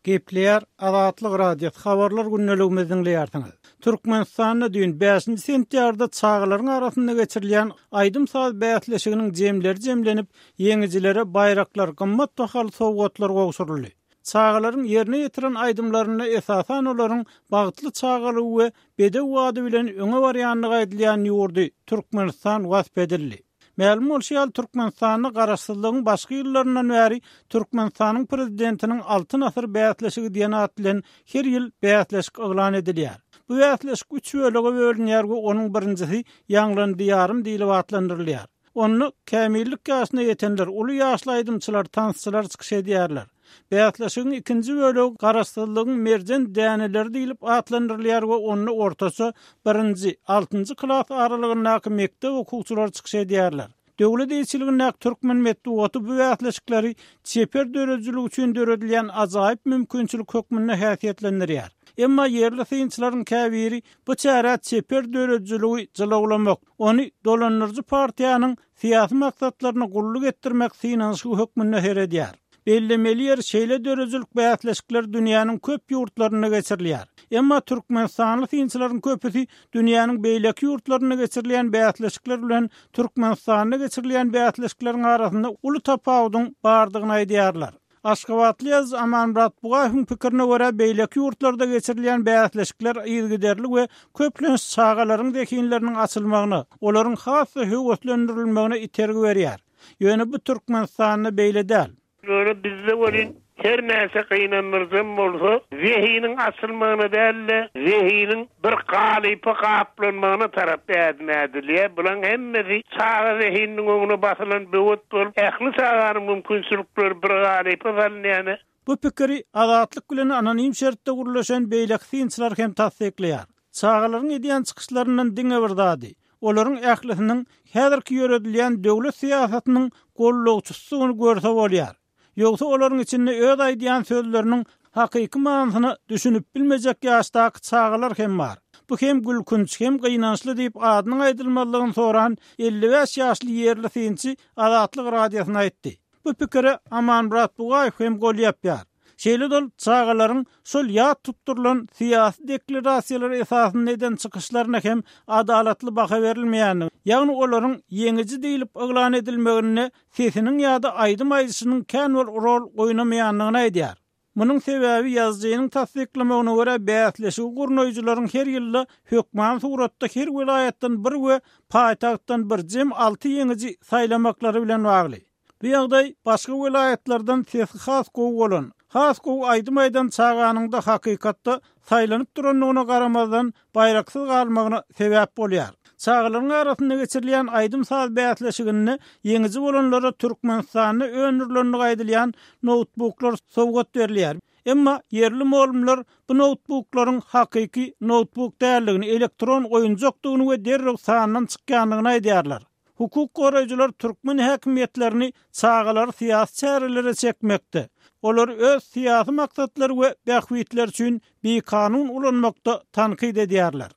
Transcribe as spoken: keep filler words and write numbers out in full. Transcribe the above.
Gepleýär Azatlyk Radiosy habarlar gündeligimizi diňleýärsiňiz. Türkmenistanda düýn bäşinji sentýabrda çagalaryň arasynda geçirilýän aýdym-saz bäsleşiginiň jemleri jemlenip, ýeňijilere baýraklar, gymmat bahaly sowgatlar gowşuryldy. Çagalaryň ýerine ýetiren aýdymlarynda esasan olaryň bagtly çagalygy we bedew ady bilen öňe barýandygy aýdylýan ýurdy Türkmenistan wasp edildi. Mälim bolşy ýaly Türkmenistanda garaşsyzlygyň başky ýyllaryndan bäri Türkmenistanyň prezidentiniň Altyn asyr bäsleşigi diýen at bilen her ýyl bäsleşik yglan edilýär. Bu bäsleşik üç bölege bölünýär we onuň birinjisi Ýaňlan diýarym diýlip atlandyrylýar. Onda kämillik ýaşyna ýetenler, uly ýaşly aýdymçylar, tansçylar çykyş edýärler. Bäsleşigiň ikinji bölegi Garaşsyzlygyň merjen däneleri diýlip atlandyrylýar we onda ortaça birinji, altynjy klas aralygyndaky mekdep okuwçylary çykyş edýärler. Döwlet eýeçiligindäki türkmen metbugaty bu bäsleşikleri çeper döredijilik üçin döredilýän ajaýyp mümkinçilik hökmünde häsiýetlendirýär. Emma ýerli synçylaryň käbiri bu çärä çeper döredijiligi jylawlamak, ony dolandyryjy partiýanyň syýasy maksatlaryna gulluk etdirmek synanyşygy hökmünde seredýär. Bellemeli ýer şeýle döredijilik bäsleşikler dünýäniň köp ýurtlarynda geçirilýär. Emma Türkmenistanly synçylaryň köpüsi dünýäniň beýleki ýurtlarynda geçirilýän bäsleşikler bilen Türkmenistanda geçirilýän bäsleşikleriň arasynda uly tapawudyň bardygyny aýdýarlar. Aşgabatly ýazyjy Amanmyrat Bugaýewiň pikirine görä beýleki ýurtlarda geçirilýän bäsleşikler yzygiderli we köplenç çagalaryň zehinleriniň açylmagyna, olaryň has-da höweslendirilmegine itergi berýär. Ýöne bu Türkmenistanda beýle däl. Ýöne bizde welin her näçe gynandyrjam bolsa, zehiniň açylmagyna däl-de, zehiniň bir galypa gaplanmagyna tarap ädim ädilýär. Bulaň hemmesi çaga zehininiň öňüne basylan böwet bolup, ähli çaganyň mümkinçilikleri bir galypa salynýar. Bu pikiri Azatlyk bilen anonim şertde gürleşen beýleki synçylar hem tassyklaýar. Çagalaryň edýän çykyşlaryndan diňe bir zady, olaryň ählisiniň häzirki ýöredilýän döwlet syýasatynyň gollagçysydygyny görse bolýar. Ýogsa olaryň içinde öz aýdýan sözleriniň hakyky manysyna düşünip bilmejek ýaşdaky çagalar hem bar. Bu hem gülkünç hem gynançly diýip adynyň aýdylmazlygyny soran elli bäş ýaşly ýerli synçy Azatlyk Radiosyna aýtdy. Bu pikire Amanmyrat Bugaýew hem gol ýapýar. Şeýle dol çagalaryň şol ýat tutdurylan syýasy deklarasiýalar esasynda eden çykyşlaryna hem adalatly baha berilmeýändigini, ýagny olaryň ýeňiji diýlip yglan edilmeginde sesiniň ýa-da aýdym aýdyşynyň kän bir rol oýnamaýandygyny aýdýar. Munuň sebäbi ýazyjynyň tassyklamagyna görä bäsleşigi gurnaýjylaryň her ýylda hökman suratda her welaýatdan bir we paýtagtdan bir jem alty ýeňiji saýlamaklary bilen bagly. Bu ýagdaý başga welaýatlardan sesi has gowy bolan, has gowy aýdym aýdan çaganyň da hakykatda saýlanyp durandygyna garamazdan baýraksyz galmagyna sebäp bolýar. Çagalaryň arasynda geçirilýän aýdym-saz bäsleşiginde ýeňiji bolanlara Türkmenistanda öndürilenligi aýdylýan noutbuklar sowgat berilýär. Emma ýerli mugallymlar bu noutbuklaryň hakyky noutbuk däldigini, elektron oýunjakdygyny we derrew sandan çykýandygyny aýdýarlar. Hukuk goraýjylar türkmen häkimiýetlerini çagalary syýasy çärelere çekmekde, olary öz syýasy maksatlary we bähbitleri üçin bikanun ulanmakda tankyt edýärler.